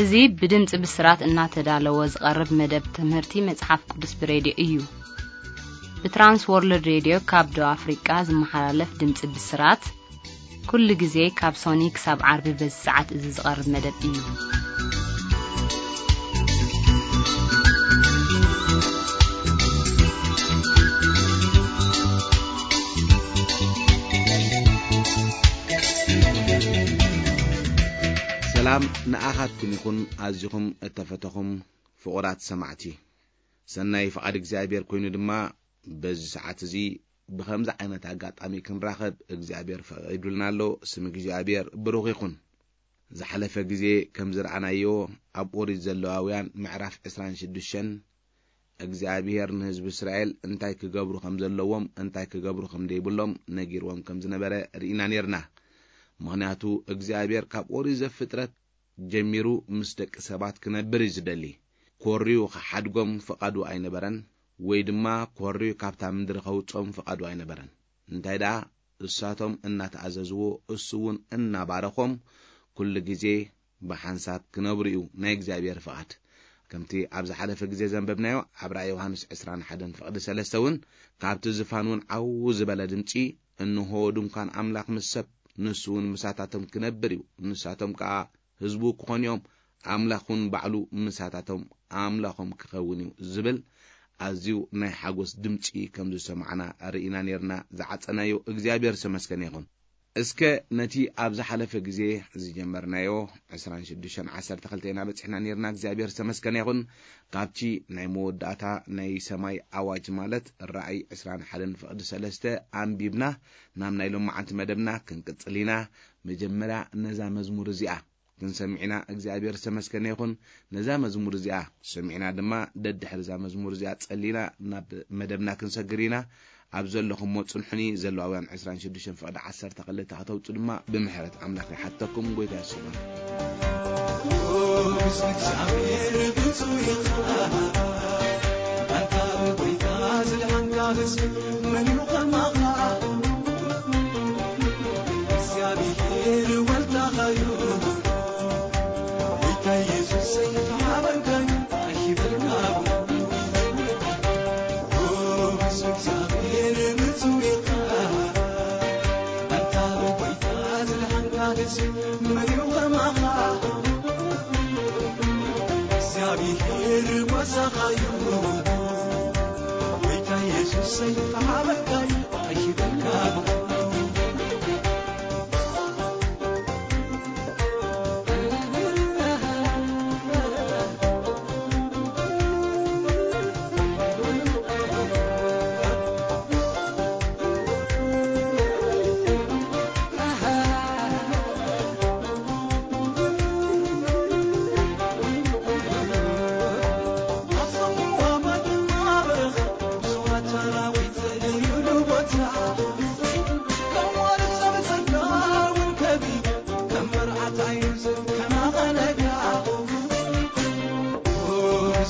እዚ ብድምጺ ብስራት እናተዳለወ ዝቐርብ መደብ ትምህርቲ መጽሓፍ ቅዱስ ብሬድዮ እዩ። ብትራንስ ወርልድ ሬድዮ ካብ ደቡብ ኣፍሪቃ ዝመሓላለፍ ድምጺ ብስራት፣ ኩሉ ግዜ ካብ ሶኒ ክሳብ ዓርቢ በዚ ሰዓት እዚ ዝቐርብ መደብ እዩ። ሰላም ንኣኻትኩም ይኹን፣ ኣዚኹም እተፈተኹም ፍቑራት ሰማዕቲ። ሰናይ ፍቓድ እግዚኣብሔር ኮይኑ ድማ፣ በዚ ሰዓት እዚ ብኸምዚ ዓይነት ኣጋጣሚ ክንራኸብ እግዚኣብሔር ፈቒዱልና ኣሎ። ስም እግዚኣብሔር ብሩኽ ይኹን። ዝሓለፈ ግዜ ከም ዝረኣናዮ፣ ኣብ ኦሪት ዘለዋውያን ምዕራፍ ዕስራን ሽዱሽተን፣ እግዚኣብሔር ንህዝቢ እስራኤል እንታይ ክገብሩ ከም ዘለዎም፣ እንታይ ክገብሩ ከም ዘይብሎም ነጊርዎም ከም ዝነበረ ርኢና ኔርና። ምኽንያቱ እግዚኣብሔር ካብ ኦሪት ዘፍጥረት ጀሚሩ ምስ ደቂ ሰባት ክነብር እዩ ዝደሊ። ኮርዩ ክሓድጎም ፍቓዱ ኣይነበረን፣ ወይ ድማ ኮርዩ ካብታ ምድሪ ከውጾም ፍቓዱ ኣይነበረን። እንታይ ደኣ፣ እሳቶም እናተኣዘዝዎ፣ እሱ እውን እናባረኾም፣ ኩሉ ግዜ ብሓንሳብ ክነብሩ እዩ ናይ እግዚኣብሔር ፍቓድ። ከምቲ ኣብ ዝሓለፈ ግዜ ዘንበብናዮ፣ ኣብ ራእይ ዮሃንስ ዕስራን ሓደን ፍቕዲ ሰለስተ እውን፣ ካብቲ ዝፋን እውን ዓው ዝበለ ድምጺ፣ "እንሆ ድንኳን ኣምላኽ ምስ ሰብ፣ ንሱ እውን ምሳታቶም ክነብር እዩ፣ ንሳቶም ከኣ ህዝቡ ክኾኑ እዮም፣ ኣምላኽ እውን ባዕሉ ምሳታቶም ኣምላኾም ክኸውን እዩ" ዝብል ኣዝዩ ናይ ሓጎስ ድምጺ ከም ዝሰማዕና ርኢና ኔርና። ዝዓጸናዮ እግዚኣብሔር ዝተመስገነ ይኹን። እስከ ነቲ ኣብ ዝሓለፈ ግዜ ዝጀመርናዮ ዕስራን ሽዱሽተን ዓሰርተ ክልተ ኢና በጺሕና ኔርና። እግዚኣብሔር ዝተመስገነ ይኹን። ካብቲ ናይ መወዳእታ ናይ ሰማይ ኣዋጅ ማለት ራእይ ዕስራን ሓደን ፍቕዲ ሰለስተ ኣንቢብና ናብ ናይ ሎማዓንቲ መደብና ክንቅጽል ኢና። መጀመርያ ነዛ መዝሙር እዚኣ ክንሰምዕ ኢና። እግዚኣብሔር ዝተመስገነ ይኹን። ነዛ መዝሙር እዚኣ ሰሚዕና ድማ፣ ደድሕሪ እዛ መዝሙር እዚኣ ጸሊና ናብ መደብና ክንሰግር ኢና። ኣብ ዘለኹሞ ጽንሑኒ። ዘለዋውያን ዕስራን ሽዱሽተን ፍቕዲ ዓሰርተ ክልተ ከተውጹ ድማ ብምሕረት ኣምላኽ ይሓተኩም። ጎይታ የሱና። ንጉስ እግዚኣብሔር ብፁዕ ኢኻ፣ ኣንታ ብጎይታ ዝድሓንካ ህዝቢ መን እዩ ከማኻ? እግዚኣብሔር ወልዳኻዩ፣ ጎይታ ኢየሱሰይ ተሓበንካዩ፣ ኣይበልካ። ንጉስ እግዚኣብሔር ብፁዕ ኢኻ፣ ኣንታ ብጎይታ ዝድሓንካ ህዝቢ መን እዩ ከማኻ? እግዚኣብሔር ጓሳኻዩ፣ ጎይታ ኢየሱሰይ ተሓበንካዩ፣ ኣይበልካ።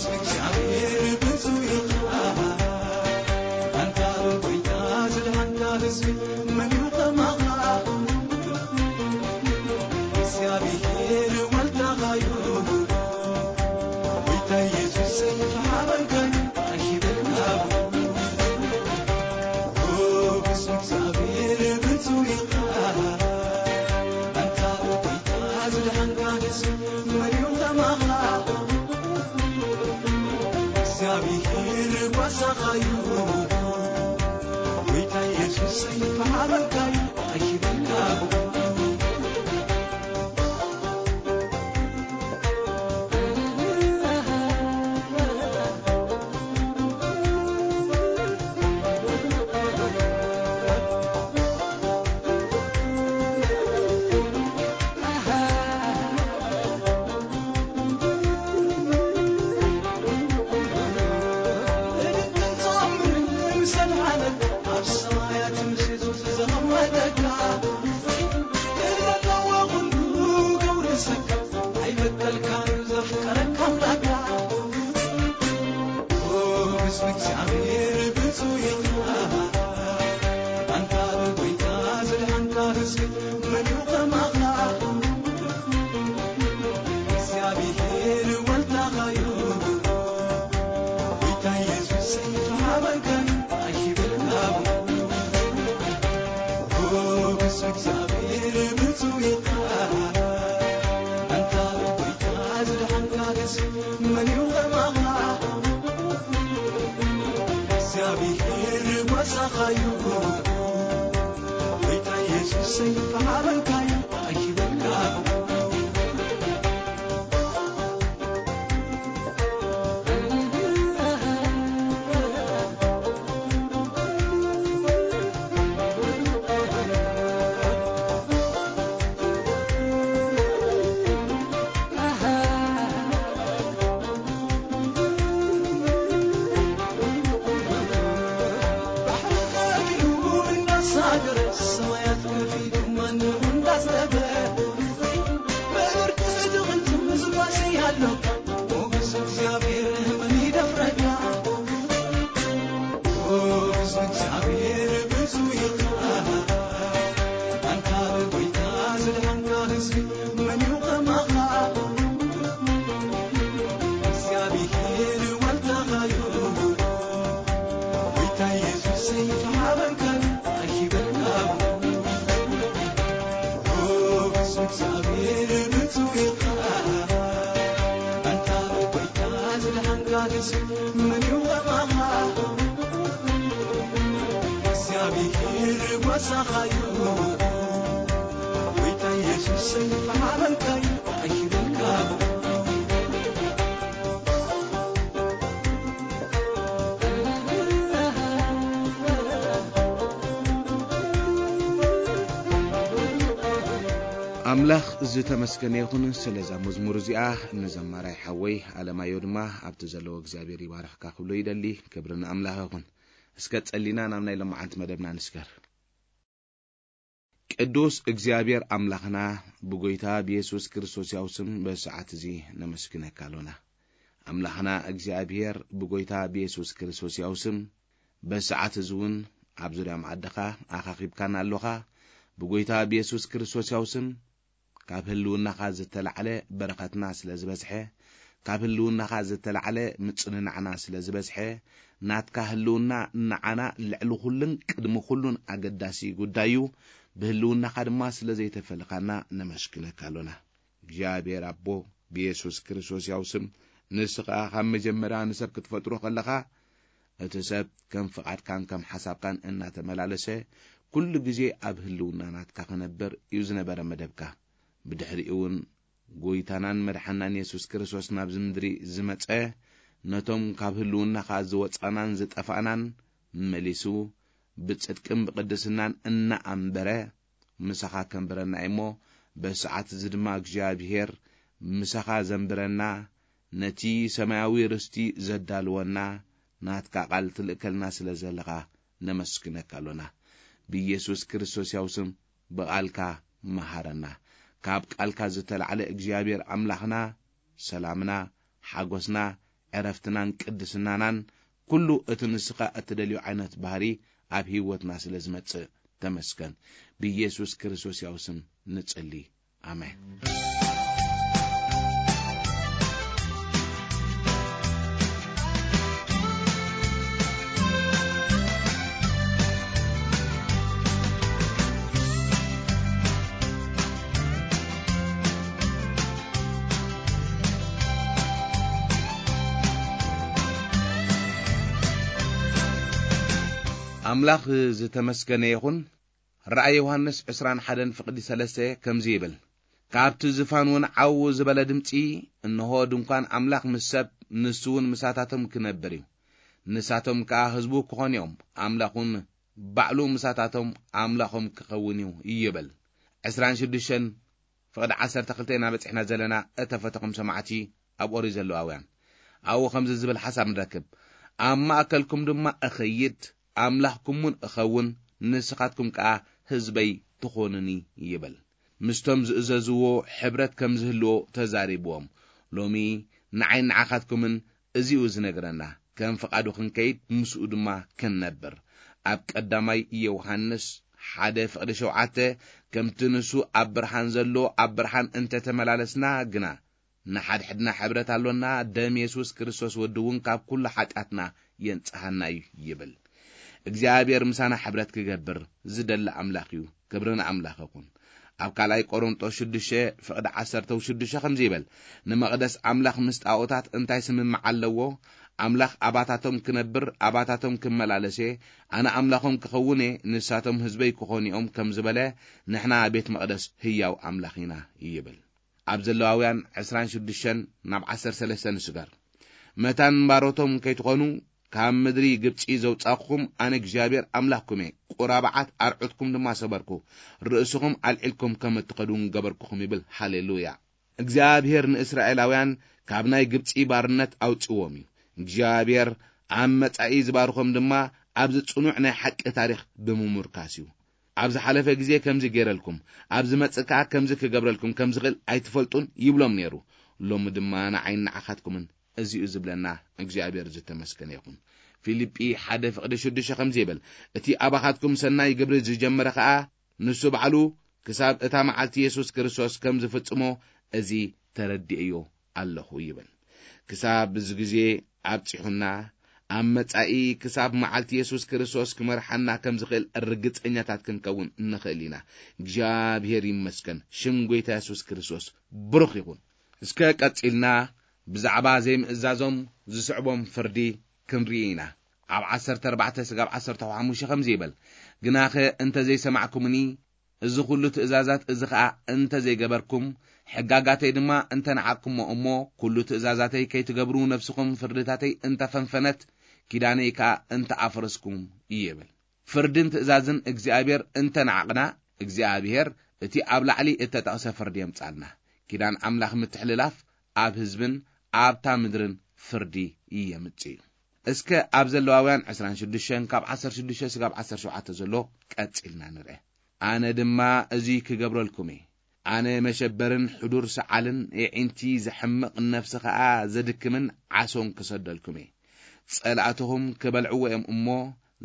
እግዚኣብሔር ብፁዕ ኢኻ፣ ኣንታ ጎይታ ዝድሓንካ ህዝቢ መን እዩ ከማኻ? እግዚኣብሔር ወልዳኻዩ፣ ጎይታ ኢየሱስ ተሓበንካዩ፣ ኣይበልካ። ንጉስ እግዚኣብሔር ብፁዕ ኢኻ፣ ኣንታ ጎይታ ዝድሓንካ ህዝቢ መን እዩ ከማኻ? እግዚኣብሔር ጓሳኻዩ፣ ጎይታ ኢየሱስ ተሓበንካዩ፣ ኣይበልካ። ሞገስ እግዚኣብሔር ብፁዕ ኢኻ። ኣንታ ብጎይታ ዝደሓንካ ደስ መን እዩ ከማኻ? እግዚኣብሔር ጓሳኻ እዩ። ጎይታ ኢየሱሰይ፣ ፈሓበልካ እዩ፣ ኣይበልካ። ባሕሪ ከፊሉ እንዳሳገረ፣ ሰማያት ከፊሉ ማንም እንዳስጠበ፣ ምድሪ ትድቕን ትምዝባዝ ያለካ፣ ሞገስ እግዚኣብሔር መን ይደፍረካ? ሞገስ እግዚኣብሔር ብዙ ኢኻ። ኣንታ ብጎይታ ዝደሓንካ ህዝቢ መን እዩ ከማኻ? እግዚኣብሔር ዋልታኻ እዩ። ጎይታ ኢየሱሰይ፣ ተሓበንካ ኣይበልካ። ሞገስ እግዚኣብሔር ብፁዕ ኢኻ። ኣንታ ብጎይታ ዝደሓንካ ህዝቢ መን እዩ ከማኻ? እግዚኣብሔር ጓሳኻ እዩ። ጎይታ ኢየሱሰይ፣ ተሓበንካ ኣይበልካ። ኣምላኽ ዝተመስገነ ይኹን ስለዛ መዝሙር እዚኣ። ንዘማራይ ሓወይ ኣለማዮ ድማ ኣብቲ ዘለዎ እግዚኣብሔር ይባርኽካ ክብሎ ይደሊ። ክብሪ ንኣምላኽ ይኹን። እስከ ጸሊና ናብ ናይ ሎማዓንቲ መደብና ንስገር። ቅዱስ እግዚኣብሔር ኣምላኽና፣ ብጎይታ ብየሱስ ክርስቶስ ያው ስም በሰዓት እዚ ነመስግነካ ኣሎና። ኣምላኽና እግዚኣብሔር፣ ብጎይታ ብየሱስ ክርስቶስ ያው ስም በሰዓት እዚ እውን ኣብ ዙርያ መኣድኻ ኣኻኺብካና ኣሎኻ። ብጎይታ ብየሱስ ክርስቶስ ያው ስም ካብ ህልውናኻ ዝተላዕለ በረኸትና ስለ ዝበዝሐ፣ ካብ ህልውናኻ ዝተላዕለ ምጽንናዕና ስለ ዝበዝሐ፣ ናትካ ህልውና ንዓና ልዕሊ ኩሉን ቅድሚ ኩሉን ኣገዳሲ ጉዳይ እዩ። ብህልውናኻ ድማ ስለ ዘይተፈልኻና ነመስግነካ ኣሎና። እግዚኣብሔር ኣቦ፣ ብየሱስ ክርስቶስ ያው ስም፣ ንስኻ ካብ መጀመርያ ንሰብ ክትፈጥሮ ከለኻ፣ እቲ ሰብ ከም ፍቓድካን ከም ሓሳብካን እናተመላለሰ፣ ኩሉ ግዜ ኣብ ህልውና ናትካ ክነብር እዩ ዝነበረ መደብካ። ብድሕሪኡ እውን ጎይታናን መድሓናን የሱስ ክርስቶስ ናብዚ ምድሪ ዝመጸ፣ ነቶም ካብ ህልውናኻ ዝወጻናን ዝጠፋእናን መሊሱ፣ ብጽድቅን ብቕድስናን እናኣንበረ፣ ምሳኻ ከንብረና እዩ እሞ፣ በሰዓት እዚ ድማ እግዚኣብሄር ምሳኻ ዘንብረና፣ ነቲ ሰማያዊ ርስቲ ዘዳልወና፣ ናትካ ቃል ትልእከልና ስለ ዘለኻ ነመስግነካ ኣሎና። ብኢየሱስ ክርስቶስ ያው ስም ብቓልካ መሃረና። ካብ ቃልካ ዝተላዕለ እግዚኣብሔር ኣምላኽና፣ ሰላምና፣ ሓጎስና፣ ዕረፍትናን ቅድስናናን፣ ኩሉ እቲ ንስኻ እትደልዮ ዓይነት ባህሪ ኣብ ህይወትና ስለ ዝመጽእ ተመስገን። ብኢየሱስ ክርስቶስ ያው ስም ንጽሊ። ኣሜን። ኣምላኽ ዝተመስገነ ይኹን። ራእይ ዮሃንስ ዕስራን ሓደን ፍቕዲ ሰለስተ ከምዚ ይብል፣ ካብቲ ዝፋን እውን ዓው ዝበለ ድምፂ፣ እንሆ ድንኳን ኣምላኽ ምስ ሰብ፣ ንሱ እውን ምሳታቶም ክነብር እዩ። ንሳቶም ከኣ ህዝቡ ክኾኑ እዮም፣ ኣምላኽ እውን ባዕሉ ምሳታቶም ኣምላኾም ክኸውን እዩ ይብል። ዕስራን ሽዱሽተን ፍቕዲ ዓሰርተ ክልተ ኢና በጺሕና ዘለና። እተፈተኹም ሰማዕቲ ኣብ ኦሪት ዘለዋውያን ኣብኡ ከምዚ ዝብል ሓሳብ ንረክብ፣ ኣብ ማእከልኩም ድማ እኸይድ፣ ኣምላኽኩም እውን እኸውን፣ ንስኻትኩም ከኣ ህዝበይ ትኾኑኒ ይብል። ምስቶም ዝእዘዝዎ ሕብረት ከም ዝህልዎ ተዛሪብዎም። ሎሚ ንዓይ ንዓኻትኩምን እዚኡ ዝነግረና፣ ከም ፍቓዱ ክንከይድ ምስኡ ድማ ክንነብር። ኣብ ቀዳማይ ዮሃንስ ሓደ ፍቕዲ ሸውዓተ፣ ከምቲ ንሱ ኣብ ብርሃን ዘሎ ኣብ ብርሃን እንተተመላለስና ግና፣ ንሓድሕድና ሕብረት ኣሎና፣ ደም የሱስ ክርስቶስ ወዲ እውን ካብ ኩሉ ሓጢኣትና የንጽሃና እዩ ይብል። እግዚኣብሔር ምሳና ሕብረት ክገብር ዝደሊ ኣምላኽ እዩ። ክብሪ ንኣምላኽ ይኹን። ኣብ ካልኣይ ቆሮንጦስ ሽዱሽተ ፍቕዲ ዓሰርተ ሽዱሽተ ከምዚ ይብል፣ "ንመቕደስ ኣምላኽ ምስ ጣኦታት እንታይ ስምምዕ ኣለዎ? ኣምላኽ ኣባታቶም ክነብር፣ ኣባታቶም ክመላለስ እየ፣ ኣነ ኣምላኾም ክኸውን እየ፣ ንሳቶም ህዝበይ ክኾኑ እዮም" ከም ዝበለ፣ ንሕና ቤት መቕደስ ህያው ኣምላኽ ኢና ይብል። ኣብ ዘለዋውያን ዕስራን ሽዱሽተን ናብ ዓሰርተ ሰለስተ ንስገር። "መታን ባሮቶም ከይትኾኑ ካብ ምድሪ ግብጺ ዘውጻእኩኹም ኣነ እግዚኣብሔር ኣምላኽኩም እየ። ቁራብዓት ኣርዑትኩም ድማ ሰበርኩ፣ ርእስኹም ኣልዒልኩም ከም እትኸዱ ገበርኩኹም" ይብል። ሃሌሉያ! እግዚኣብሔር ንእስራኤላውያን ካብ ናይ ግብጺ ባርነት ኣውጽዎም እዩ። እግዚኣብሔር ኣብ መጻኢ ዝባርኾም ድማ ኣብዚ ጽኑዕ ናይ ሓቂ ታሪኽ ብምሙርካስ እዩ። "ኣብ ዝሓለፈ ግዜ ከምዚ ገይረልኩም፣ ኣብ ዝመጽእ ከኣ ከምዚ ክገብረልኩም ከም ዝኽእል ኣይትፈልጡን" ይብሎም ነይሩ። ሎሚ ድማ ንዓይን ንዓኻትኩምን እዚ እዩ ዝብለና። እግዚኣብሔር ዝተመስገነ ይኹን። ፊልጲ ሓደ ፍቕዲ ሽዱሽተ ከምዚ ይብል፣ "እቲ ኣባኻትኩም ሰናይ ግብሪ ዝጀመረ ከኣ ንሱ ባዕሉ ክሳብ እታ መዓልቲ የሱስ ክርስቶስ ከም ዝፍጽሞ እዚ ተረዲእዮ ኣለኹ" ይብል። ክሳብ እዚ ግዜ ኣብጺሑና፣ ኣብ መጻኢ ክሳብ መዓልቲ የሱስ ክርስቶስ ክመርሓና ከም ዝኽእል ርግጸኛታት ክንከውን ንኽእል ኢና። እግዚኣብሔር ይመስገን። ሽም ጐይታ የሱስ ክርስቶስ ብሩኽ ይኹን። እስከ ቀጺልና ብዛዕባ ዘይምእዛዞም ዝስዕቦም ፍርዲ ክንርኢ ኢና። ኣብ ዓሰርተ ኣርባዕተ ስጋብ ዓሰርተ ሓሙሽተ ከምዚ ይብል፣ "ግናኸ እንተ ዘይሰማዕኩምኒ፣ እዚ ኹሉ ትእዛዛት እዚ ኸኣ እንተ ዘይገበርኩም፣ ሕጋጋተይ ድማ እንተ ነዓቕኩሞ እሞ፣ ኩሉ ትእዛዛተይ ከይትገብሩ ነፍስኹም ፍርድታተይ እንተ ፈንፈነት፣ ኪዳነይ ከኣ እንተ ኣፍረስኩም" ይብል። ፍርድን ትእዛዝን እግዚኣብሔር እንተ ነዓቕና፣ እግዚኣብሔር እቲ ኣብ ላዕሊ እተጠቕሰ ፍርዲ የምጻልና። ኪዳን ኣምላኽ ምትሕልላፍ ኣብ ህዝብን ኣብታ ምድርን ፍርዲ የምጽእ እዩ። እስከ ኣብ ዘለዋውያን ዕስራን ሽዱሽተን ካብ ዓሰርተ ሽዱሽተ ስጋብ ዓሰርተ ሸውዓተ ዘሎ ቀጺልና ንርአ። "ኣነ ድማ እዚ ክገብረልኩም እየ። ኣነ መሸበርን ሕዱር ሰዓልን፣ የዒንቲ ዘሕምቕ፣ ነፍሲ ኸኣ ዘድክምን ዓሶን ክሰደልኩም እየ። ጸላእትኹም ክበልዕዎ እዮም እሞ፣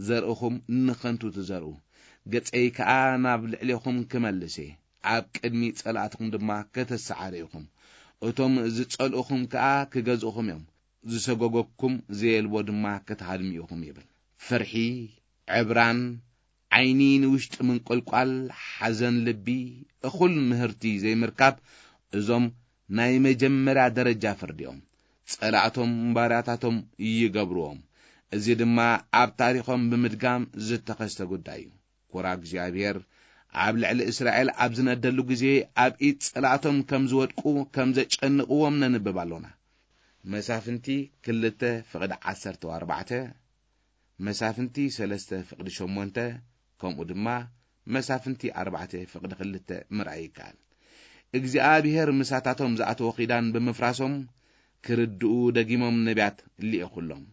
ዘርእኹም ንኸንቱ ትዘርኡ። ገጸይ ከኣ ናብ ልዕሌኹም ክመልስ እየ፣ ኣብ ቅድሚ ጸላእትኹም ድማ ከተሰዓሩ ኢኹም። እቶም ዝጸልኡኹም ከኣ ክገዝኡኹም እዮም፣ ዝሰጎገኩም ዘየልቦ ድማ ክትሃድሙ ኢኹም" ይብል። ፍርሒ፣ ዕብራን፣ ዓይኒ ንውሽጢ ምንቁልቋል፣ ሓዘን ልቢ፣ እኹል ምህርቲ ዘይምርካብ፣ እዞም ናይ መጀመርያ ደረጃ ፍርዲ እዮም። ጸላእቶም ባርያታቶም ይገብርዎም። እዚ ድማ ኣብ ታሪኾም ብምድጋም ዝተኸስተ ጉዳይ እዩ። ኩራ እግዚኣብሔር ኣብ ልዕሊ እስራኤል ኣብ ዝነደሉ ግዜ፣ ኣብ ኢድ ጸላእቶም ከም ዝወድቁ፣ ከም ዘጨንቕዎም ነንብብ ኣሎና። መሳፍንቲ ክልተ ፍቕዲ ዓሰርተ ኣርባዕተ፣ መሳፍንቲ ሰለስተ ፍቕዲ ሸሞንተ፣ ከምኡ ድማ መሳፍንቲ ኣርባዕተ ፍቕዲ ክልተ ምርኣይ ይከኣል። እግዚኣብሔር ምሳታቶም ዝኣተዎ ኪዳን ብምፍራሶም፣ ክርድኡ ደጊሞም ነቢያት ልኢኹሎም።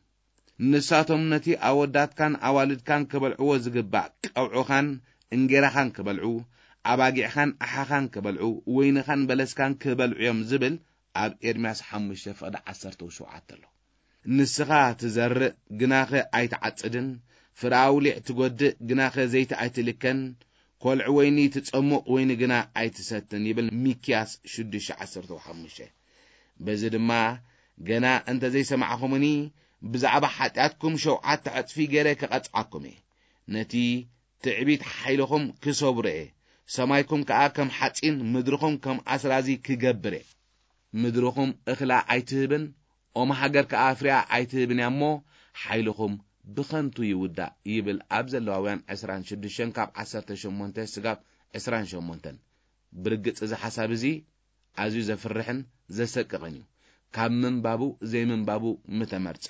ንሳቶም ነቲ ኣወዳትካን ኣዋልድካን ክበልዕዎ ዝግባእ ቀውዕኻን እንጌራኻን ክበልዑ፣ ኣባጊዕኻን ኣሓኻን ክበልዑ፣ ወይንኻን በለስካን ክበልዑ እዮም ዝብል ኣብ ኤርምያስ ሓሙሽተ ፍቕዲ ዓሰርተ ሸውዓተ ኣሎ። ንስኻ ትዘርእ፣ ግናኸ ኣይትዓጽድን፣ ፍረ ኣውሊዕ ትጎድእ፣ ግናኸ ዘይቲ ኣይትልከን፣ ኮልዕ ወይኒ ትጸሙቕ፣ ወይኒ ግና ኣይትሰትን ይብል ሚክያስ ሽዱሽተ ዓሰርተ ሓሙሽተ። በዚ ድማ ገና እንተ ዘይሰማዕኹምኒ፣ ብዛዕባ ሓጢኣትኩም ሸውዓተ ዕጽፊ ገይረ ክቐጽዓኩም እየ። ነቲ ትዕቢት ሓይልኹም ክሰብሮ እየ። ሰማይኩም ከኣ ከም ሓጺን፣ ምድርኹም ከም ኣስራዚ ክገብር እየ። ምድርኹም እኽላ ኣይትህብን፣ ኦም ሃገር ከኣ ፍሬኣ ኣይትህብን እያ እሞ፣ ሓይልኹም ብኸንቱ ይውዳእ ይብል ኣብ ዘለዋውያን ዕስራን ሽዱሽተን ካብ ዓሰርተ ሸሞንተ ስጋብ ዕስራን ሸሞንተን። ብርግጽ እዚ ሓሳብ እዚ ኣዝዩ ዘፍርሕን ዘሰቅቕን እዩ። ካብ ምንባቡ ዘይምንባቡ ምተመርጸ።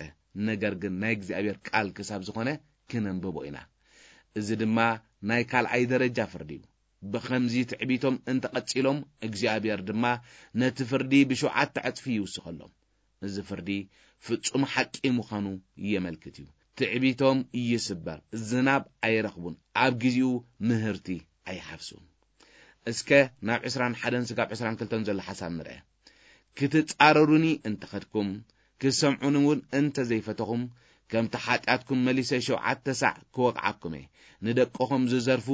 ነገር ግን ናይ እግዚኣብሔር ቃል ክሳብ ዝኾነ ክነንብቦ ኢና። እዚ ድማ ናይ ካልኣይ ደረጃ ፍርዲ እዩ። ብኸምዚ ትዕቢቶም እንተቐጺሎም፣ እግዚኣብሔር ድማ ነቲ ፍርዲ ብሸውዓተ ዕጽፊ ይውስኸሎም። እዚ ፍርዲ ፍጹም ሓቂ ምዃኑ የመልክት እዩ። ትዕቢቶም ይስበር፣ ዝናብ ኣይረኽቡን፣ ኣብ ግዜኡ ምህርቲ ኣይሓፍሱን። እስከ ናብ ዕስራን ሓደን ስጋብ ዕስራን ክልተን ዘሎ ሓሳብ ንርአ። ክትጻረሩኒ እንተኸድኩም፣ ክሰምዑኒ እውን እንተ ዘይፈተኹም፣ ከምቲ ሓጢኣትኩም መሊሰ ሸውዓተ ሳዕ ክወቕዓኩም እየ። ንደቅኹም ዝዘርፉ፣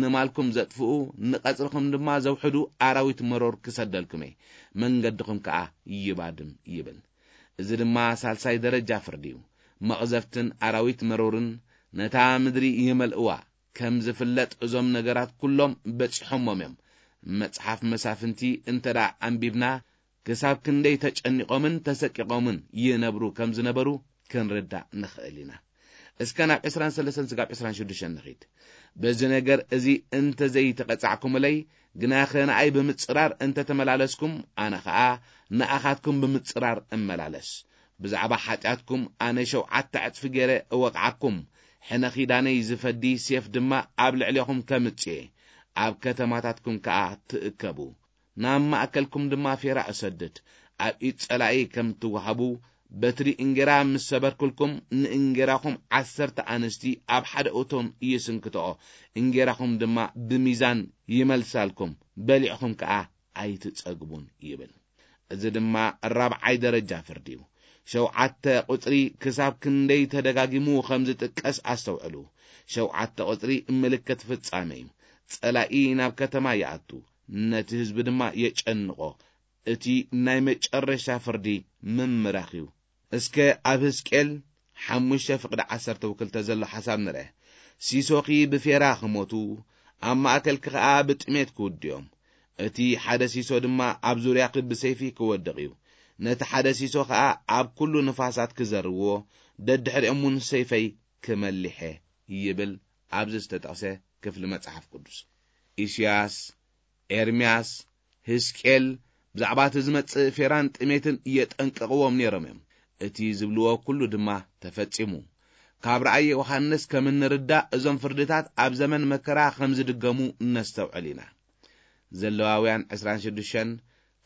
ንማልኩም ዘጥፍኡ፣ ንቐጽርኹም ድማ ዘውሕዱ ኣራዊት መሮር ክሰደልኩም እየ። መንገድኹም ከኣ ይባድም ይብል። እዚ ድማ ሳልሳይ ደረጃ ፍርዲ እዩ። መቕዘፍትን ኣራዊት መሮርን ነታ ምድሪ ይመልእዋ። ከም ዝፍለጥ እዞም ነገራት ኩሎም በጺሖሞም እዮም። መጽሓፍ መሳፍንቲ እንተ ደኣ ኣንቢብና፣ ክሳብ ክንደይ ተጨኒቖምን ተሰቂቖምን ይነብሩ ከም ዝነበሩ ክንርዳእ ንኽእል ኢና። እስከ ናብ ዕስራን ሰለስተን ስጋብ ዕስራን ሽዱሽተን ንኺድ። በዚ ነገር እዚ እንተ ዘይተቐጻዕኩምለይ፣ ግናኸ ንኣይ ብምጽራር እንተ ተመላለስኩም፣ ኣነ ኸኣ ንኣኻትኩም ብምጽራር እመላለስ። ብዛዕባ ሓጢኣትኩም ኣነ ሸውዓተ ዕጽፊ ገይረ እወቕዓኩም። ሕነ ኺዳነይ ዝፈዲ ሴፍ ድማ ኣብ ልዕሌኹም ከምጽእ እየ። ኣብ ከተማታትኩም ከኣ ትእከቡ። ናብ ማእከልኩም ድማ ፌራ እሰድድ። ኣብ ኢድ ጸላኢ ከም ትወሃቡ፣ በትሪ እንጌራ ምስ ሰበርኩልኩም፣ ንእንጌራኹም ዓሰርተ ኣንስቲ ኣብ ሓደ እቶን ይስንክትኦ፣ እንጌራኹም ድማ ብሚዛን ይመልሳልኩም፣ በሊዕኹም ከኣ ኣይትጸግቡን ይብል። እዚ ድማ ራብዓይ ደረጃ ፍርዲ እዩ። ሸውዓተ ቁጽሪ ክሳብ ክንደይ ተደጋጊሙ ከም ዝጥቀስ ኣስተውዕሉ። ሸውዓተ ቁጽሪ ምልክት ፍጻመ እዩ። ጸላኢ ናብ ከተማ ይኣቱ፣ ነቲ ህዝቢ ድማ የጨንቖ። እቲ ናይ መጨረሻ ፍርዲ ምምራኽ እዩ። እስከ ኣብ ህዝቅኤል ሓሙሽተ ፍቕዲ ዓሰርተ ወክልተ ዘሎ ሓሳብ ንርአ። ሲሶኺ ብፌራ ክሞቱ፣ ኣብ ማእከልኪ ኸኣ ብጥሜት ክውድዮም። እቲ ሓደ ሲሶ ድማ ኣብ ዙርያኺ ብሰይፊ ክወድቕ እዩ። ነቲ ሓደ ሲሶ ኸኣ ኣብ ኩሉ ንፋሳት ክዘርዎ፣ ደድሕሪኦም እውን ሰይፈይ ክመሊሐ ይብል ኣብዚ ዝተጠቕሰ ክፍሊ መጽሓፍ ቅዱስ። ኢስያስ፣ ኤርምያስ፣ ህዝቅኤል ብዛዕባ እቲ ዝመጽእ ፌራን ጥሜትን የጠንቅቕዎም ነይሮም እዮም። እቲ ዝብልዎ ኩሉ ድማ ተፈጺሙ። ካብ ራእይ ዮሃንስ ከም እንርዳእ፣ እዞም ፍርድታት ኣብ ዘመን መከራ ከም ዝድገሙ ነስተውዕል ኢና። ዘለዋውያን ዕስራን ሽዱሽተን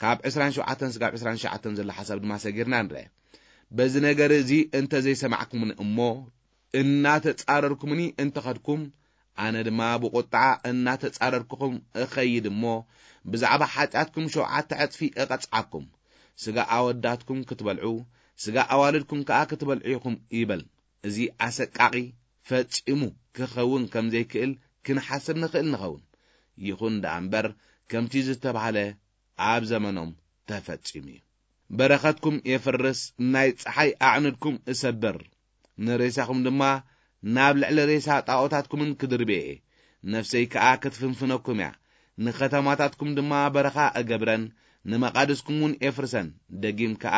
ካብ ዕስራን ሸውዓተን ስጋብ ዕስራን ትሽዓተን ዘሎ ሓሳብ ድማ ሰጊርና ንርአ። በዚ ነገር እዚ እንተ ዘይሰማዕኩምኒ እሞ፣ እናተጻረርኩምኒ እንተ ኸድኩም፣ ኣነ ድማ ብቑጥዓ እናተጻረርኩኹም እኸይድ እሞ፣ ብዛዕባ ሓጢኣትኩም ሸውዓተ ዕጽፊ እቐጽዓኩም። ስጋ ኣወዳትኩም ክትበልዑ፣ ስጋ ኣዋልድኩም ከኣ ክትበልዑ ኢኹም ይበል። እዚ ኣሰቃቒ ፈጺሙ ክኸውን ከም ዘይክእል ክንሓስብ ንኽእል ንኸውን። ይኹን ደኣ እምበር፣ ከምቲ ዝተባህለ ኣብ ዘመኖም ተፈጺሙ እዩ። በረኸትኩም የፍርስ፣ ናይ ጸሓይ ኣዕኑድኩም እሰብር፣ ንሬሳኹም ድማ ናብ ልዕሊ ሬሳ ጣዖታትኩምን ክድርብየ እየ። ነፍሰይ ከኣ ክትፍንፍነኩም እያ፣ ንኸተማታትኩም ድማ በረኻ እገብረን፣ ንመቓድስኩም እውን ኤፍርሰን። ደጊም ከኣ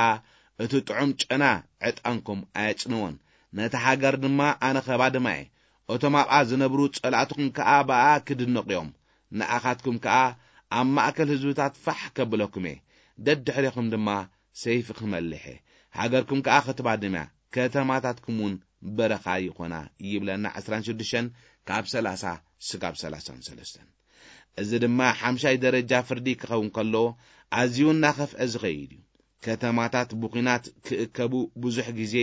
እቲ ጥዑም ጨና ዕጣንኩም ኣየጽንዎን። ነታ ሃገር ድማ ኣነ ኸባድማ እየ። እቶም ኣብኣ ዝነብሩ ጸላእትኹም ከኣ ብኣ ክድነቑ እዮም። ንኣኻትኩም ከኣ ኣብ ማእከል ህዝብታት ፋሕ ከብለኩም እየ። ደድሕሬኹም ድማ ሰይፊ ክመልሕ እየ። ሃገርኩም ከኣ ክትባድም እያ፣ ከተማታትኩም እውን በረኻ ይኾና፣ ይብለና ዕስራን ሽዱሽተን ካብ ሰላሳ ስጋብ ሰላሳን ሰለስተን። እዚ ድማ ሓምሻይ ደረጃ ፍርዲ ክኸውን ከሎ፣ ኣዝዩ እናኸፍአ ዝኸይድ እዩ። ከተማታት ብኲናት ክእከቡ ብዙሕ ግዜ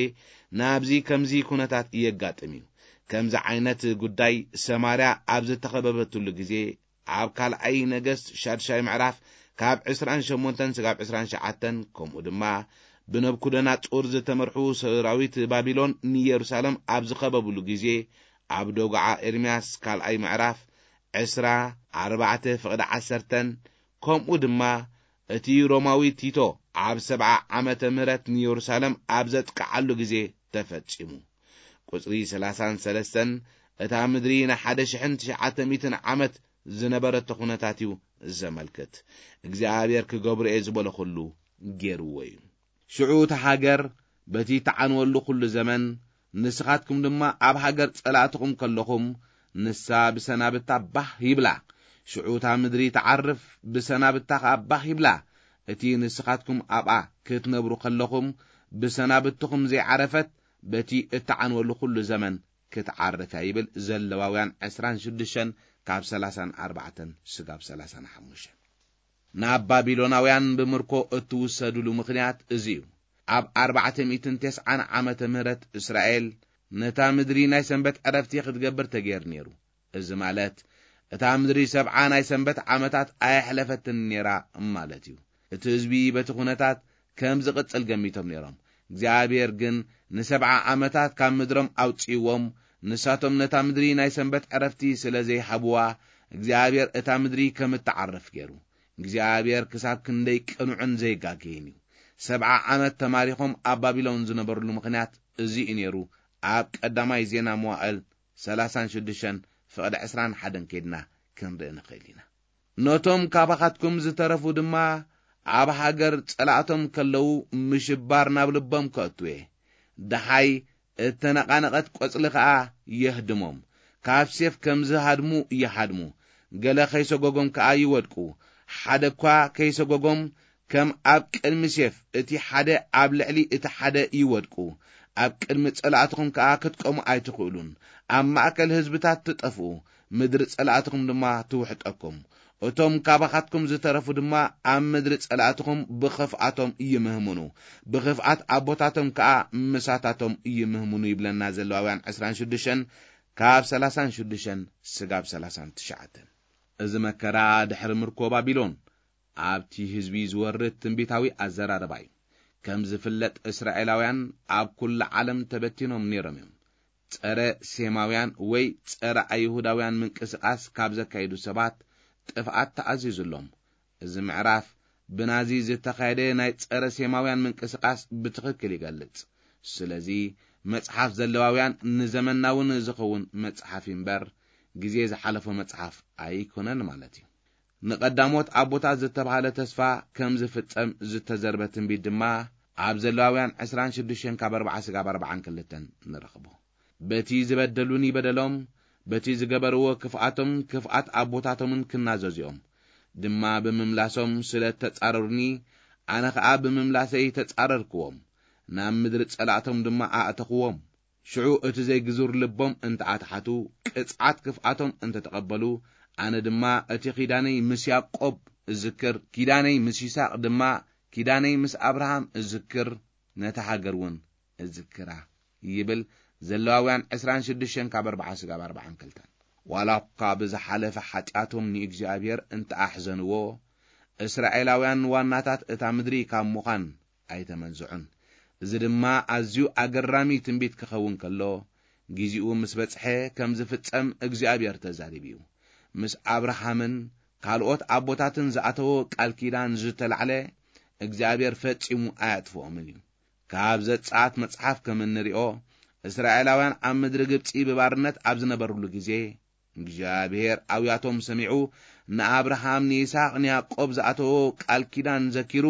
ናብዚ ከምዚ ኩነታት የጋጥም እዩ። ከምዚ ዓይነት ጉዳይ ሰማርያ ኣብ ዝተኸበበትሉ ግዜ፣ ኣብ ካልኣይ ነገስት ሻድሻይ ምዕራፍ ካብ ዕስራን ሸሞንተን ስጋብ ዕስራን ትሽዓተን፣ ከምኡ ድማ ብነብኩደናጹር ዝተመርሑ ሰራዊት ባቢሎን ንየሩሳሌም ኣብ ዝኸበብሉ ግዜ፣ ኣብ ደጉዓ ኤርምያስ ካልኣይ ምዕራፍ ዕስራ ኣርባዕተ ፍቕዲ ዓሰርተን፣ ከምኡ ድማ እቲ ሮማዊ ቲቶ ኣብ ሰብዓ ዓመተ ምህረት ንየሩሳሌም ኣብ ዘጥቅዓሉ ግዜ ተፈጺሙ። ቁጽሪ ሰላሳን ሰለስተን እታ ምድሪ ንሓደ ሽሕን ትሽዓተ ሚእትን ዓመት ዝነበረቶ ኩነታት እዩ ዘመልክት። እግዚኣብሔር ክገብሮ እየ ዝበሎ ኩሉ ገይርዎ እዩ። ሽዑ እታ ሃገር በቲ እትዓንወሉ ኩሉ ዘመን፣ ንስኻትኩም ድማ ኣብ ሃገር ጸላእትኹም ከለኹም፣ ንሳ ብሰናብታ ባህ ይብላ። ሽዑ እታ ምድሪ ትዓርፍ፣ ብሰናብታ ኸኣ ባህ ይብላ። እቲ ንስኻትኩም ኣብኣ ክትነብሩ ከለኹም፣ ብሰናብትኹም ዘይዓረፈት፣ በቲ እትዓንወሉ ኩሉ ዘመን ክትዓርፍ እያ፣ ይብል ዘለዋውያን ዕስራን ሽዱሽተን ካብ ሰላሳን ኣርባዕተን ስጋብ ሰላሳን ሓሙሽተን። ናብ ባቢሎናውያን ብምርኮ እትውሰዱሉ ምኽንያት እዚ እዩ። ኣብ ኣርባዕተ ሚእትን ተስዓን ዓመተ ምህረት እስራኤል ነታ ምድሪ ናይ ሰንበት ዕረፍቲ ክትገብር ተገይሩ ነይሩ። እዚ ማለት፣ እታ ምድሪ ሰብዓ ናይ ሰንበት ዓመታት ኣየሕለፈትን ነይራ ማለት እዩ። እቲ ህዝቢ በቲ ኩነታት ከም ዝቕጽል ገሚቶም ነይሮም። እግዚኣብሔር ግን ንሰብዓ ዓመታት ካብ ምድሮም ኣውጽእዎም። ንሳቶም ነታ ምድሪ ናይ ሰንበት ዕረፍቲ ስለ ዘይሃብዋ፣ እግዚኣብሔር እታ ምድሪ ከም እትዓርፍ ገይሩ። እግዚኣብሔር ክሳብ ክንደይ ቅኑዕን ዘይጋገይን እዩ። ሰብዓ ዓመት ተማሪኾም ኣብ ባቢሎን ዝነበርሉ ምኽንያት እዚ እዩ ነይሩ። ኣብ ቀዳማይ ዜና መዋእል ሰላሳን ሽዱሽተን ፍቕዲ ዕስራን ሓደን ከይድና ክንርኢ ንኽእል ኢና። ነቶም ካባኻትኩም ዝተረፉ ድማ ኣብ ሃገር ጸላእቶም ከለዉ ምሽባር ናብ ልቦም ከእትው እየ። ደሃይ እተነቓነቐት ቆጽሊ ከኣ የህድሞም። ካብ ሴፍ ከም ዝሃድሙ ይሃድሙ። ገለ ከይሰጎጎም ከኣ ይወድቁ። ሓደ እኳ ከይሰጎጎም ከም ኣብ ቅድሚ ሴፍ እቲ ሓደ ኣብ ልዕሊ እቲ ሓደ ይወድቁ። ኣብ ቅድሚ ጸላእትኹም ከኣ ክትቆሙ ኣይትኽእሉን። ኣብ ማእከል ህዝብታት ትጠፍኡ። ምድሪ ጸላእትኹም ድማ ትውሕጠኩም። እቶም ካባኻትኩም ዝተረፉ ድማ ኣብ ምድሪ ጸላእትኹም ብኽፍኣቶም ይምህምኑ። ብኽፍኣት ኣቦታቶም ከኣ ምሳታቶም ይምህምኑ ይብለና ዘለዋውያን ዕስራን ሽዱሽተን ካብ ሰላሳን ሽዱሽተን ስጋብ ሰላሳን ትሽዓተን። እዚ መከራ ድሕሪ ምርኮ ባቢሎን ኣብቲ ህዝቢ ዝወርድ ትንቢታዊ ኣዘራርባ እዩ። ከም ዝፍለጥ እስራኤላውያን ኣብ ኩሉ ዓለም ተበቲኖም ነይሮም እዮም። ጸረ ሴማውያን ወይ ጸረ ኣይሁዳውያን ምንቅስቓስ ካብ ዘካይዱ ሰባት ጥፍኣት ተኣዚዙሎም። እዚ ምዕራፍ ብናዚ ዝተኻየደ ናይ ጸረ ሴማውያን ምንቅስቓስ ብትኽክል ይገልጽ። ስለዚ መጽሓፍ ዘለዋውያን ንዘመንና እውን ዝኸውን መጽሓፍ እምበር ግዜ ዝሓለፎ መጽሓፍ ኣይኮነን ማለት እዩ። ንቐዳሞት ኣቦታት ዝተባህለ ተስፋ ከም ዝፍጸም ዝተዘርበ ትንቢት ድማ ኣብ ዘለዋውያን ዕስራን ሽዱሽተን ካብ ኣርባዓ ስጋብ ኣርባዓን ክልተን ንረኽቦ። በቲ ዝበደሉኒ በደሎም፣ በቲ ዝገበርዎ ክፍኣቶም ክፍኣት ኣቦታቶምን ክናዘዙ እዮም። ድማ ብምምላሶም ስለ እተጻረሩኒ፣ ኣነ ኸኣ ብምምላሰይ ተጻረርክዎም፣ ናብ ምድሪ ጸላእቶም ድማ ኣእተኽዎም። ሽዑ እቲ ዘይግዙር ልቦም እንተ ኣትሓቱ፣ ቅጽዓት ክፍኣቶም እንተ ተቐበሉ፣ ኣነ ድማ እቲ ኪዳነይ ምስ ያዕቆብ እዝክር፣ ኪዳነይ ምስ ይስሐቅ ድማ፣ ኪዳነይ ምስ ኣብርሃም እዝክር፣ ነታ ሃገር እውን እዝክራ ይብል። ዘለዋውያን ዕስራን ሽዱሽተን ካብ ኣርባዓ ስጋብ ኣርባዓን ክልተን። ዋላ እኳ ብዝሓለፈ ሓጢኣቶም ንእግዚኣብሔር እንተ ኣሕዘንዎ፣ እስራኤላውያን ዋናታት እታ ምድሪ ካብ ምዃን ኣይተመንዝዑን። እዚ ድማ ኣዝዩ ኣገራሚ ትንቢት ክኸውን ከሎ፣ ግዜኡ ምስ በጽሐ ከም ዝፍጸም እግዚኣብሔር ተዛሪቡ እዩ። ምስ ኣብርሃምን ካልኦት ኣቦታትን ዝኣተዎ ቃል ኪዳን ዝተላዕለ እግዚኣብሔር ፈጺሙ ኣያጥፍኦምን እዩ። ካብ ዘጸኣት መጽሓፍ ከም እንሪኦ፣ እስራኤላውያን ኣብ ምድሪ ግብጺ ብባርነት ኣብ ዝነበሩሉ ግዜ፣ እግዚኣብሔር ኣውያቶም ሰሚዑ፣ ንኣብርሃም፣ ንይስሐቅ፣ ንያዕቆብ ዝኣተዎ ቃል ኪዳን ዘኪሩ፣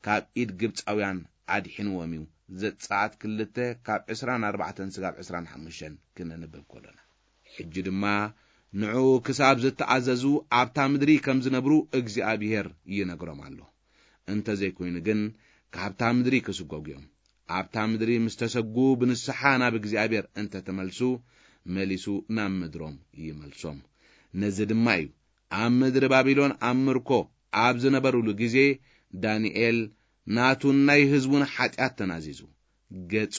ካብ ኢድ ግብጻውያን ኣድሒንዎም እዩ። ዘጸኣት ክልተ ካብ ዕስራን ኣርባዕተን ስጋብ ዕስራን ሓሙሽተን ክነንብብ ከሎና። ሕጂ ድማ ንዕኡ ክሳብ ዝተኣዘዙ ኣብታ ምድሪ ከም ዝነብሩ እግዚኣብሔር ይነግሮም ኣሎ። እንተ ዘይኮይኑ ግን ካብታ ምድሪ ክስጎጉ እዮም። ኣብታ ምድሪ ምስ ተሰጉ ብንስሓ ናብ እግዚኣብሔር እንተ ተመልሱ፣ መሊሱ ናብ ምድሮም ይመልሶም። ነዚ ድማ እዩ ኣብ ምድሪ ባቢሎን ኣብ ምርኮ ኣብ ዝነበሩሉ ግዜ ዳንኤል ናቱን ናይ ህዝቡን ሓጢኣት ተናዚዙ፣ ገጹ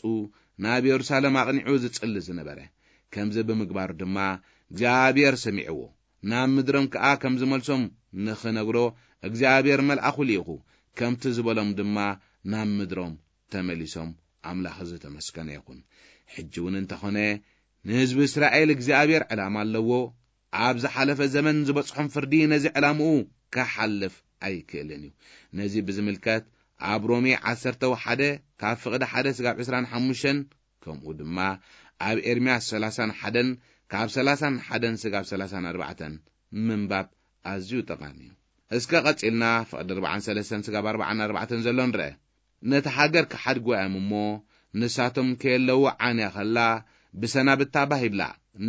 ናብ የሩሳሌም ኣቕኒዑ ዝጽሊ ዝነበረ። ከምዚ ብምግባሩ ድማ እግዚኣብሔር ሰሚዕዎ። ናብ ምድሮም ከኣ ከም ዝመልሶም ንኽነግሮ እግዚኣብሔር መልኣኹ ልኢኹ። ከምቲ ዝበሎም ድማ ናብ ምድሮም ተመሊሶም። ኣምላኽ ዝተመስገነ ይኹን። ሕጂ እውን እንተኾነ ንህዝቢ እስራኤል እግዚኣብሔር ዕላማ ኣለዎ። ኣብ ዝሓለፈ ዘመን ዝበጽሖም ፍርዲ ነዚ ዕላምኡ ክሓልፍ ኣይክእልን እዩ። ነዚ ብዝምልከት ኣብ ሮሜ ዓሰርተ ሓደ ካብ ፍቕዲ ሓደ ስጋብ ዕስራን ሓሙሽተን፣ ከምኡ ድማ ኣብ ኤርምያስ ሰላሳን ሓደን ካብ ሰላሳን ሓደን ስጋብ ሰላሳን ኣርባዕተን ምንባብ ኣዝዩ ጠቓሚ እዩ። እስከ ቀጺልና ፍቕዲ ኣርባዓን ሰለስተን ስጋብ ኣርባዓን ኣርባዕተን ዘሎ ንርአ። ነቲ ሃገር ክሓድግዋ እዮም እሞ፣ ንሳቶም ከየለዉ ዓንያ ኸላ፣ ብሰናብታ ባህ ይብላ።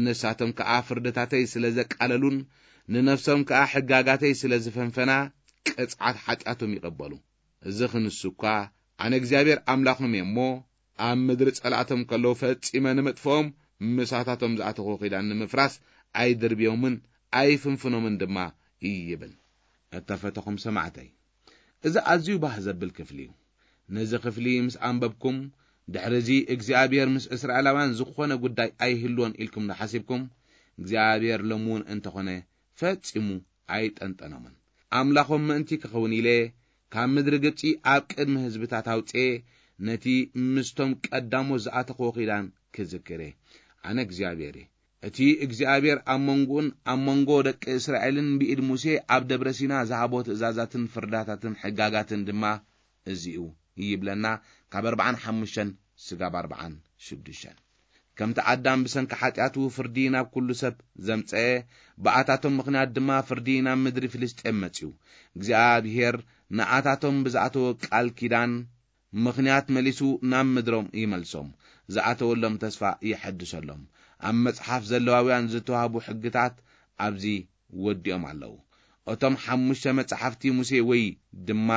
ንሳቶም ከኣ ፍርድታተይ ስለ ዘቃለሉን ንነፍሶም ከኣ ሕጋጋተይ ስለ ዝፈንፈና፣ ቅጽዓት ሓጢኣቶም ይቐበሉ። እዚ ክንሱ እኳ፣ ኣነ እግዚኣብሔር ኣምላኾም እየ እሞ፣ ኣብ ምድሪ ጸላእቶም ከለዉ ፈጺመ ንምጥፍኦም፣ ምሳታቶም ዝኣተኽዎ ኪዳን ንምፍራስ ኣይድርብዮምን ኣይፍንፍኖምን ድማ ይብል። እተፈተኹም ሰማዕተይ፣ እዚ ኣዝዩ ባህ ዘብል ክፍሊ እዩ። ነዚ ክፍሊ ምስ ኣንበብኩም፣ ድሕሪ እዚ እግዚኣብሔር ምስ እስራኤላውያን ዝኾነ ጉዳይ ኣይህልዎን ኢልኩም ንሓሲብኩም፣ እግዚኣብሔር ሎሚ እውን እንተኾነ ፈጺሙ ኣይጠንጠኖምን። ኣምላኾም ምእንቲ ክኸውን ኢለ ካብ ምድሪ ግብጺ ኣብ ቅድሚ ህዝብታት ኣውጽኤ ነቲ ምስቶም ቀዳሞት ዝኣተኽዎ ኪዳን ክዝክር እየ። ኣነ እግዚኣብሔር እየ። እቲ እግዚኣብሔር ኣብ መንጎኡን ኣብ መንጎ ደቂ እስራኤልን ብኢድ ሙሴ ኣብ ደብረ ሲና ዝሃቦ ትእዛዛትን ፍርዳታትን ሕጋጋትን ድማ እዚ'ዩ ይብለና፣ ካብ ኣርባዓን ሓሙሽተን ስጋብ ኣርባዓን ሽዱሽተን። ከምቲ ኣዳም ብሰንኪ ሓጢኣቱ ፍርዲ ናብ ኩሉ ሰብ ዘምጸኤ፣ ብኣታቶም ምኽንያት ድማ ፍርዲ ናብ ምድሪ ፍልስጤም መጺኡ። እግዚኣብሔር ንኣታቶም ብዝኣተወ ቃል ኪዳን ምኽንያት መሊሱ ናብ ምድሮም ይመልሶም፣ ዝኣተወሎም ተስፋ ይሐድሰሎም። ኣብ መጽሓፍ ዘለዋውያን ዝተዋህቡ ሕግታት ኣብዚ ወዲኦም ኣለዉ። እቶም ሓሙሽተ መጻሕፍቲ ሙሴ ወይ ድማ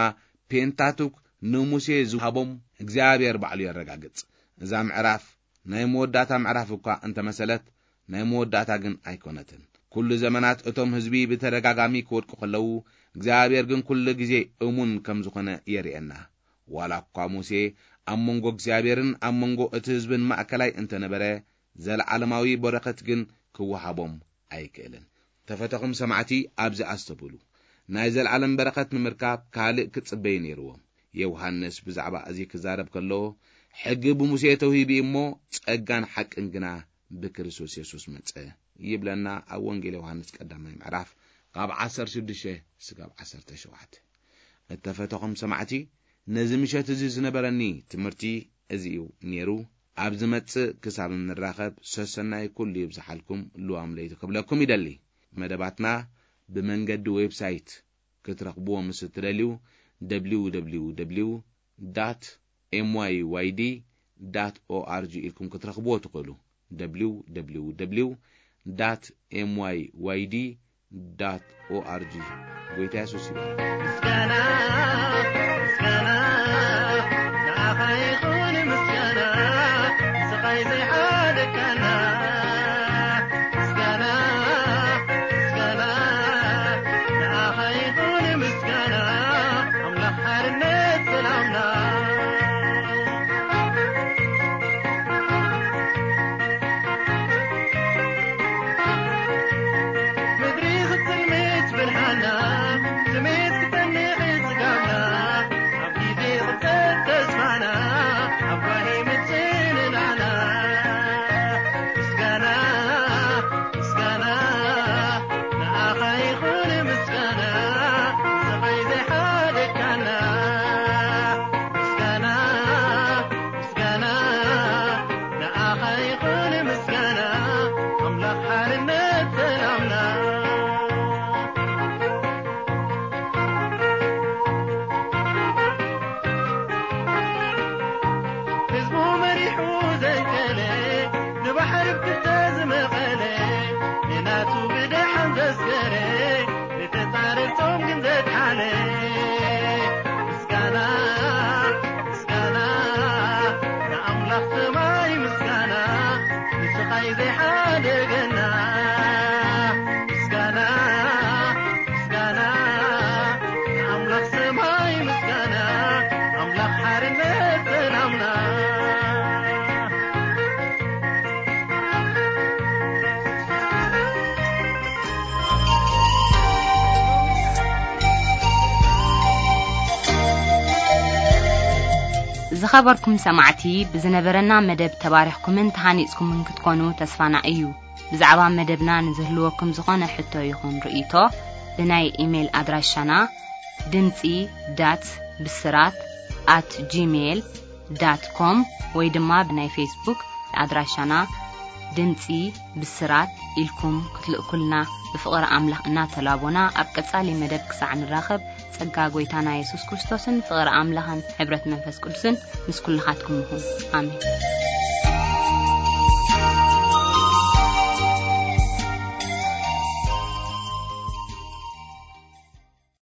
ፔንታቱክ ንሙሴ ዝሃቦም እግዚኣብሔር ባዕሉ የረጋግጽ። እዛ ምዕራፍ ናይ መወዳእታ ምዕራፍ እኳ እንተመሰለት፣ ናይ መወዳእታ ግን ኣይኮነትን። ኩሉ ዘመናት እቶም ህዝቢ ብተደጋጋሚ ክወድቁ ከለዉ፣ እግዚኣብሔር ግን ኩሉ ግዜ እሙን ከም ዝኾነ የርእየና። ዋላ እኳ ሙሴ ኣብ መንጎ እግዚኣብሔርን ኣብ መንጎ እቲ ህዝብን ማእከላይ እንተነበረ፣ ዘለዓለማዊ በረኸት ግን ክወሃቦም ኣይክእልን። ተፈተኹም ሰማዕቲ፣ ኣብዚ ኣስተብህሉ። ናይ ዘለዓለም በረኸት ንምርካብ ካልእ ክጽበዩ ነይርዎም። ዮሃንስ ብዛዕባ እዚ ክዛረብ ከሎ፣ ሕጊ ብሙሴ ተውሂቡ እሞ፣ ጸጋን ሓቅን ግና ብክርስቶስ የሱስ መጸ፣ ይብለና ኣብ ወንጌል ዮሃንስ ቀዳማይ ምዕራፍ ካብ ዓሰርተ ሽዱሽተ እስካብ ዓሰርተ ሸውዓተ። እተፈተኹም ሰማዕቲ፣ ነዚ ምሸት እዚ ዝነበረኒ ትምህርቲ እዚ እዩ ነይሩ። ኣብ ዝመጽእ ክሳብ እንራኸብ፣ ሰሰናይ ኩሉ ይብዝሓልኩም፣ ልዋም ለይቲ ክብለኩም ይደሊ። መደባትና ብመንገዲ ዌብሳይት ክትረኽብዎ ምስ እትደልዩ፣ www dot myyd dot org ኢልኩም ክትረኽብዎ ትኽእሉ። www dot myyd dot org። ጎይታ የሱስ ይባርክ። ምስጋና፣ ምስጋና፣ ንኣኻ ይኹን ምስጋና፣ ስቓይ ዘይሓደካና። ምስጋና፣ ምስጋና፣ ንኣኻ ይኹን ምስጋና፣ ኣምላኽ ሓርነት ሰላምና። ምድሪ ክትጽልምት ብርሃና፣ ስሜት ክጸንሕ ጽጋብና፣ ኣብ ግዜ ክብጸት ተስፋና፣ ኣብ ጓሂ ምጽንናዕና። ምስጋና፣ ምስጋና፣ ንኣኻ ይኹን ምስጋና፣ ስቓይ ዘይሓደካና። ምስጋና፣ ምስጋና፣ ንኣኻ ይኹን ምስጋና፣ ኣምላኽ ሓርነት ሰላምና። ህዝቡ መሪሑ ዘንቀለ፣ ንባሕሪ ብክልተ ዝመቐለ፣ ንናቱ ብደሓን ዘስገረ፣ ንተጻረርቶም ግን ዘድሓነ። ምስጋና፣ ምስጋና፣ ንኣምላኽ ሰማይ ምስጋና፣ ንስቓይ ዘይሓደገና። ምስጋና፣ ምስጋና፣ ንኣምላኽ ሰማይ ምስጋና፣ ኣምላኽ ሓርነት ሰላምና። ዝኸበርኩም ሰማዕቲ፣ ብዝነበረና መደብ ተባሪኽኩምን ተሃኒጽኩምን ክትኮኑ ተስፋና እዩ። ብዛዕባ መደብና ንዝህልወኩም ዝኾነ ሕቶ ይኹን ርእይቶ፣ ብናይ ኢሜይል ኣድራሻና ድምጺ ዳት ብስራት ኣት ጂሜይል ዳት ኮም ወይ ድማ ብናይ ፌስቡክ ኣድራሻና ድምጺ ብስራት ኢልኩም ክትልእኩልና ብፍቕሪ ኣምላኽ እናተላቦና፣ ኣብ ቀጻሊ መደብ ክሳዕ ንራኸብ፣ ጸጋ ጐይታና የሱስ ክርስቶስን ፍቕሪ ኣምላኽን ሕብረት መንፈስ ቅዱስን ምስ ኩልኻትኩም ይኹን። ኣሜን።